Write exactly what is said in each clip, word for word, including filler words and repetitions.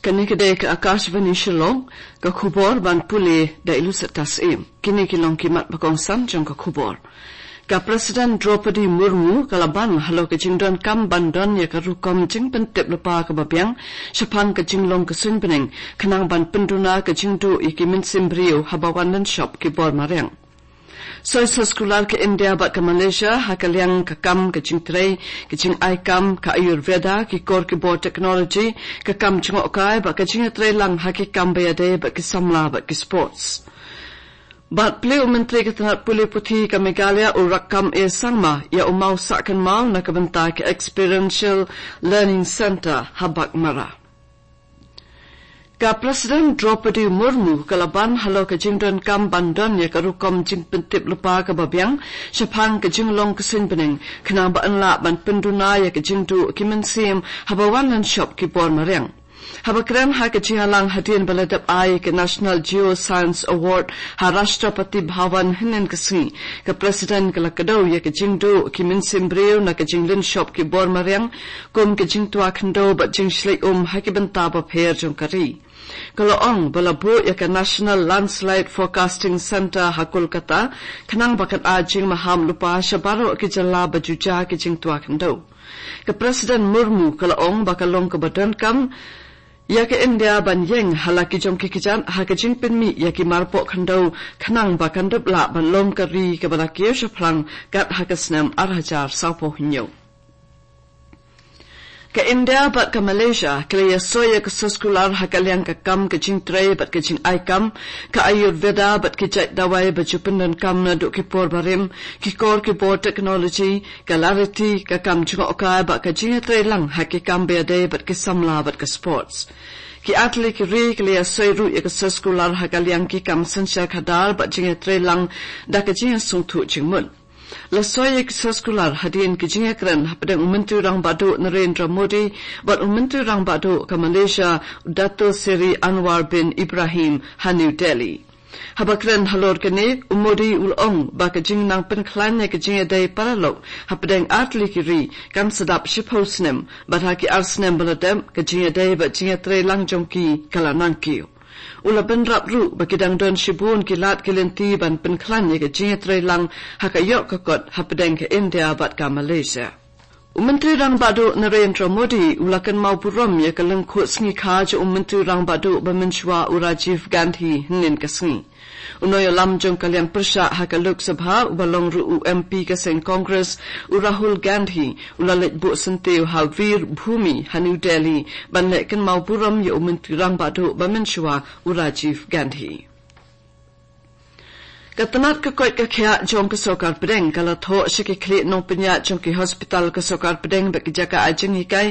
Kane ka dei ka Akashvani Shillong, ka khubor ban pule da i Lucetta Syiem. Kine ki long ki mat ba kongsan jong ka khubor. Ka President Droupadi Murmu ka la ban halor ka jingdonkam ban don ïa ka rukom jingpyntip lypa kaba biang shaphang ka jinglong ka suiñ bneng, khnang ban pynduna ka jingduh ïa ki mynsiem briew haba wan lynshop ki bor mariang. Soi soskular ka India bad ka Malaysia ha ka liang ka kam ka jingtrei, ka jingai kam, ka Ayurveda, ki kor ki bor technology, ka kam jngohkai bad ka jingïatreilang ha ki kam ba ïadei bad ki samla bad ki sports. Bad plie u Myntri ka tnat pule puthi ka Meghalaya u Rakkam A Sangma ïa u maw sah kynmaw na ka bynta ka Experiential Learning Centre ha Baghmara. Ka President Droupadi Murmu ka la ban halor ka jingdonkam ban don ïa ka rukom jingpyntip lypa kaba biang shaphang ka jinglong ka suiñ bneng, khnang ba yn lah ban pynduna ïa ka jingduh ki mynsiem haba wan lynshop ki bor mariang. Haba kren ha ka jingïalang hadien ba la dep ai ïa ka National Geoscience Award ha Rashtrapati Bhavan hynnin ka sngi, ka President ka la kdew ïa ka jingduh ki mynsiem briew na ka jinglynshop ki bor mariang, kum ka jingtwa khyndew bad jingshlei um ha ki bynta bapher jong ka ri. Ka la ong ba la buh ïa ka National Landslide Forecasting Centre ha Kolkata, khnang ba kan ai jingmaham lypa sha baroh ki jylla ba ju jia ki jingtwa khyndew. Ka President Murmu ka la ong ba ka long kaba donkam ïa ka India ban ïeng ha la ki jong ki kjat ha ka jingpynmih ïa ki marpoh khyndew, khnang ba kan dep lah ban long ka ri kaba la kiew shaphrang kat ha ka snem ar hajar sawphew hynñiew. Ka India bad ka Malaysia ki la ïasoi ïa ka soskular ha ka liang ka kam ka jingtrei bad ka jingai kam, ka Ayurveda bad ki jait dawai ba ju pyndonkam naduh ki por barim, ki kor ki bor technology, ka lariti, ka kam jngohkai bad ka jingïatreilang ha ki kam ba ïadei bad ki samla bad ka sports. Ki artylli ki ri ki la ïasoi ruh ïa ka soskular ha ka liang ki kam synshar khadar bad jingïatreilang da ka jingïasngewthuh jingmut. La soi ïa ki soskular hadien ki jingïakren hapdeng u Myntri Rangbah Duh Narendra Modi bad u Myntri Rangbah Duh ka Malaysia, Dato Seri Anwar bin Ibrahim, ha New Delhi. Haba kren halor kane, u Modi u la ong ba ka jingnang pynkhlaiñ ïa ka jingïadei paralok hapdeng artylli ki ri kan sa dap shiphew snem, bad ha ki ar snem ba la dep, ka jingïadei bad jingïatreilang jong ki ka la nang kiew. U la bynrap ruh ba ki dang don shibun ki lad ki lynti ban pynkhlaiñ ïa ka jingïatreilang ha ka ïoh ka kot hapdeng ka India bad ka Malaysia. U Myntri Rangbah Duh Narendra Modi u la kynmaw burom ïa ka lyngkhuh sngi kha jong u Myntri Rangbah Duh ba mynshuwa u Rajiv Gandhi hynnin ka sngi. U nongïalam jong ka liang pyrshah ha ka Lok Sabha uba long ruh u M P ka seng Congress, u Rahul Gandhi, u la leit buh syntiew ha Veer Bhumi ha New Delhi ban leh kynmaw burom ïa u Myntri Rangbah Duh ba mynshuwa u Rajiv Gandhi. Ka tnat ka koit ka khiah jong ka sorkar pdeng ka la thoh sha ki khlieh nongpynïaid jong ki hospital ka sorkar pdeng bad ki jaka ai jinghikai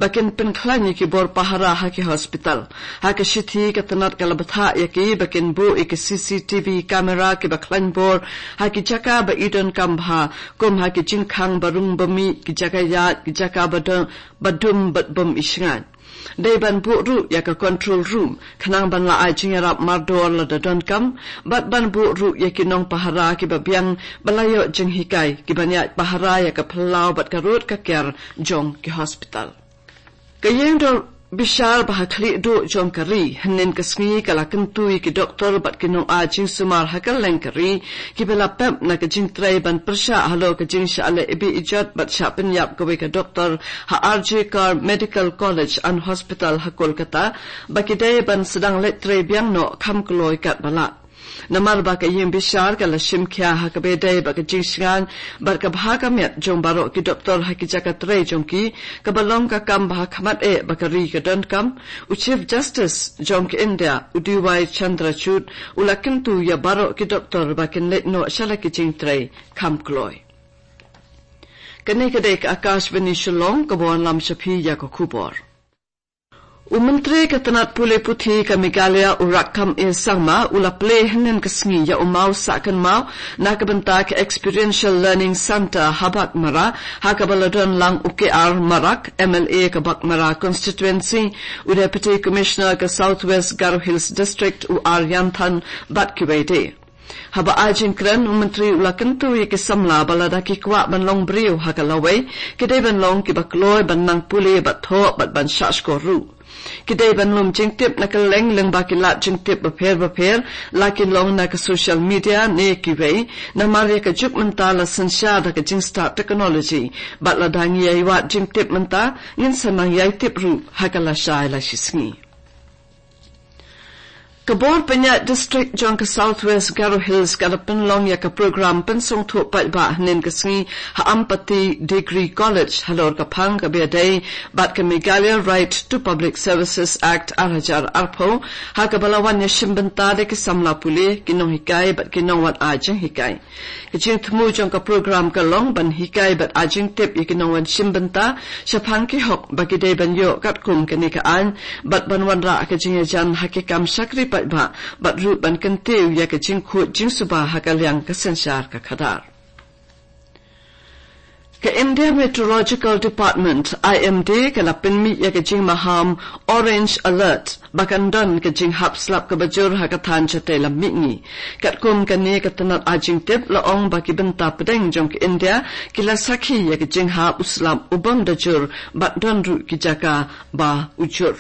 ba kin pynkhlaiñ ïa ki bor pahara ha ki hospital. Ha ka shithi ka tnat ka la bthah ïa ki ba kin buh ïa ki C C T V camera kiba khlaiñ bor ha ki jaka ba i donkam bha, kum ha ki jingkhang ba rung ba mih, ki jaka ïaid, ki jaka ba dum, ba dum bad bym i shngaiñ. Dei ban buh ruh ïa ka control room khnang ban la ai jingïarap mardor lada donkam, bad ban buh ruh ïa ki nongpahara kiba biang ba la ïoh jinghikai kiban ïaid pahara ïa ka phyllaw bad ka rud ka kiar jong ki hospital. Ka ïing dor bishar ba ha khlieh duh jong ka ri hynnin ka sngi ka la kyntu ïa ki doktor bad ki nongai jingsumar ha kylleng ka ri kiba la pep na ka jingtrei ban pyrshah halor ka jingshah leh ibi ijot bad shah pynïap kawei ka doktor ha R J Kar Medical College and Hospital ha Kolkata, ba ki dei ban sdang leit trei biang noh kham kloi katba lah. Namar ba ka ïing bishar ka la shim khia ha kaba ïadei bad ka jingshngaiñ bad ka bha ka miat jong baroh ki doktor ha ki jaka trei jong ki, kaba long ka kam ba ha khmat eh ba ka ri ka donkam, u Chief Justice jong ka India, u D Y Chandrachud, u la kyntu ïa baroh ki doktor ba kin leit noh sha la ki jingtrei kham kloi. Kane ka dei ka Akashvani Shillong kaba wanlam sha phi ïa ka khubor. U Myntri ka tnat pule puthi ka Meghalaya u Rakkam A Sangma u la plie hynnin ka sngi ïa u maw sah kynmaw na ka bynta ka Experiential Learning Centre ha Baghmara, ha kaba la don lang u K R Marak, M L A ka Baghmara Constituency, u Deputy Commissioner ka South West Garo Hills District u R Ïanthan bad kiwei de. Haba ai jingkren, u Myntri u la kyntu ïa ki samla ba lada ki kwah ban long briew ha ka lawei, ki dei ban long kiba kloi ban nang pule bad thoh bad ban shah shkor ruh. Ki dei ban lum jingtip na kylleng lyngba ki lad jingtip bapher bapher, la ki long na ka social media ne kiwei, namar ïa ka juk mynta la synshar da ka jingstad technology, bad lada ngi ïai wad jingtip mynta, ngin sa nang ïai tip ruh ha ka lashai lashisngi. Ka bor pynïaid district jong ka South West Garo Hills ka la pynlong ïa ka program pynsngewthuh paidbah hynnin ka sngi ha Ampati Degree College halor ka phang kaba ïadei bad ka Meghalaya Right to Public Services Act ar hajar arphew, ha kaba la wan ïashim bynta da ki samla pule, ki nonghikai bad ki nongwan ai jinghikai. Ka jingthmu jong ka program ka long ban hikai bad ai jingtip ïa ki nongwan shim bynta shaphang ki hok ba ki dei ban ïoh katkum kane ka aiñ, bad ban wanrah ka jingïajan ha ki kam shakri paidbah, bad ruh ban kyntiew ïa ka jingkhuid jingsuba ha ka liang ka synshar ka khadar. Ka India Meteorological Department, I M D, ka la pynmih ïa ka jingmaham Orange Alert ba kan don ka jinghap slap kaba jur ha ka thaiñ shatei lam mihngi. Katkum kane ka tnat ai jingtip la ong ba ki bynta pdeng jong ka India ki la sakhi ïa ka jinghap u slap u bym da jur, bad don ruh ki jaka ba u jur.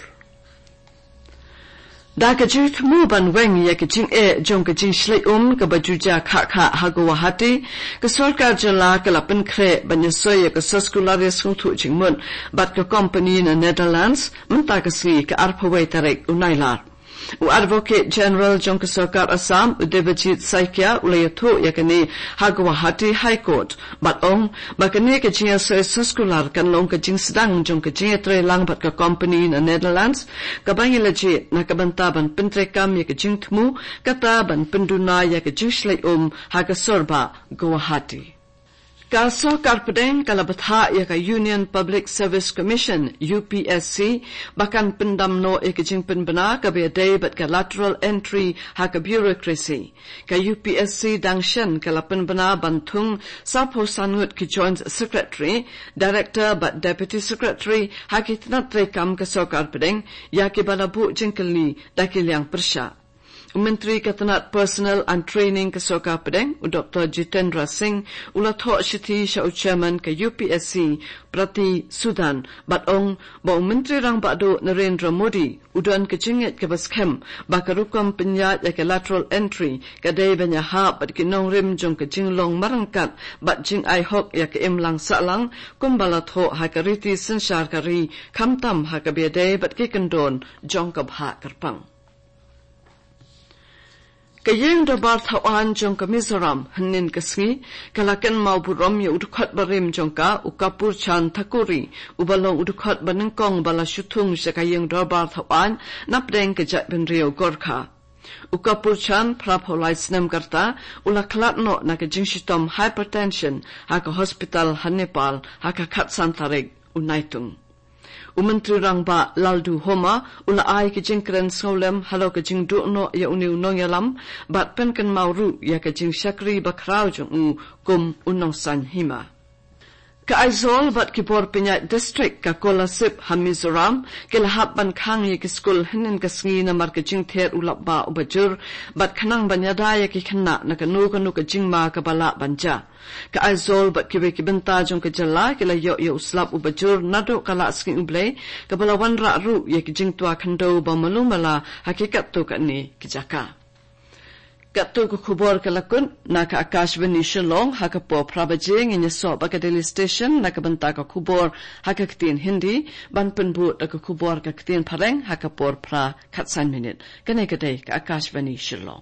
Da ka jingthmu ban weng ïa ka jingeh jong ka jingshlei um kaba ju jia khah khah ha Guwahati, ka sorkar jylla ka la pynkhreh ban ïasoi ïa ka soskular ïasngewthuh jingmut bad ka kompani na Netherlands mynta ka sngi, ka arphew wei tarik u Nailar. U Advocate General jong ka sorkar Assam, u Debajit Saikia, u la ïathuh ïa kane ha Guwahati High Court, bad ong ba kane ka jingïasoi soskular kan long ka jingsdang jong ka jingïatreilang bad ka kompani na Netherlands, kaba ngi la jied na ka bynta ban pyntreikam ïa ka jingthmu, kata ban pynduna ïa ka jingshlei um ha ka sorbah Guwahati. Ka sorkar pdeng ka la bthah ïa ka Union Public Service Commission, U P S C, ba kan pyndam noh ïa ka jingpynbna kaba ïadei bad ka lateral entry ha ka bureaucracy. Ka U P S C dang shen ka la pynbna ban thung sawphew san ngut ki Joint Secretary, Director bad Deputy Secretary ha ki tnat treikam ka sorkar pdeng, ïa kiba la buh jingkylli da ki liang pyrshah. U Myntri ka tnat Personnel and Training ka sorkar pdeng, u Doktor Jitendra Singh, u la thoh shithi sha u Chairman ka U P S C, Priti Sudan, bad ong ba u Myntri Rangbah Duh Narendra Modi u don ka jingngeit kaba skhem ba ka rukom pynïaid ïa ka lateral entry ka dei ban ïahap bad ki nongrim jong ka jinglong marangkat bad jingai hok ïa ka imlang sahlang, kumba la thoh ha ka riti synshar ka ri, khamtam ha kaba ïadei bad ki kyndon jong ka bhah kyrpang. Ka Ïing Dorbar Thawaiñ jong ka Mizoram hynnin ka sngi ka la kynmaw burom ïa u dkhot barim jong ka, u Kapurchan Thakuri, uba long u dkhot banyngkong ba la shu thung sha ka Ïing Dorbar Thawaiñ napdeng ka jaitbynriew Gorkha. U Kapurchan, phraphew lai snem ka rta, u la khlad noh na ka jingshitom hypertension ha ka hospital ha Nepal ha ka khatsan tarik u Naitung. U Myntri Rangbah Lalduhoma u la ai ka jingkren sngewlem halor ka jingduh noh ïa une u nongïalam, bad pynkynmaw ruh ïa ka jingshakri bakhraw jong u kum u nongsaiñ hima. Ka Aizawl bad ki bor pynïaid district ka Kolasib ha Mizoram ki la hap ban khang ïa ki skul hynnin ka sngi namar ka jingther u lapbah uba jur, bad khnang ban ïada ïa ki khynnah na kano kano ka jingma kaba lah ban jia. Ka Aizawl bad kiwei ki bynta jong ka jylla ki la ïoh ïa u slap uba jur naduh ka Lahsngi U Blei, kaba la wanrah ruh ïa ki jingtwa khyndew ba malu mala ha ki katto katne ki jaka. Katto ka khubor ka la kut na ka Akashvani Shillong. Ha ka por phra baje ngin ïasoh bad ka Delhi Station na ka bynta ka khubor ha ka ktien Hindi, ban pynbud da ka khubor ka ktien Phareng ha ka por phra khatsan minit. Kane ka dei ka Akashvani Shillong.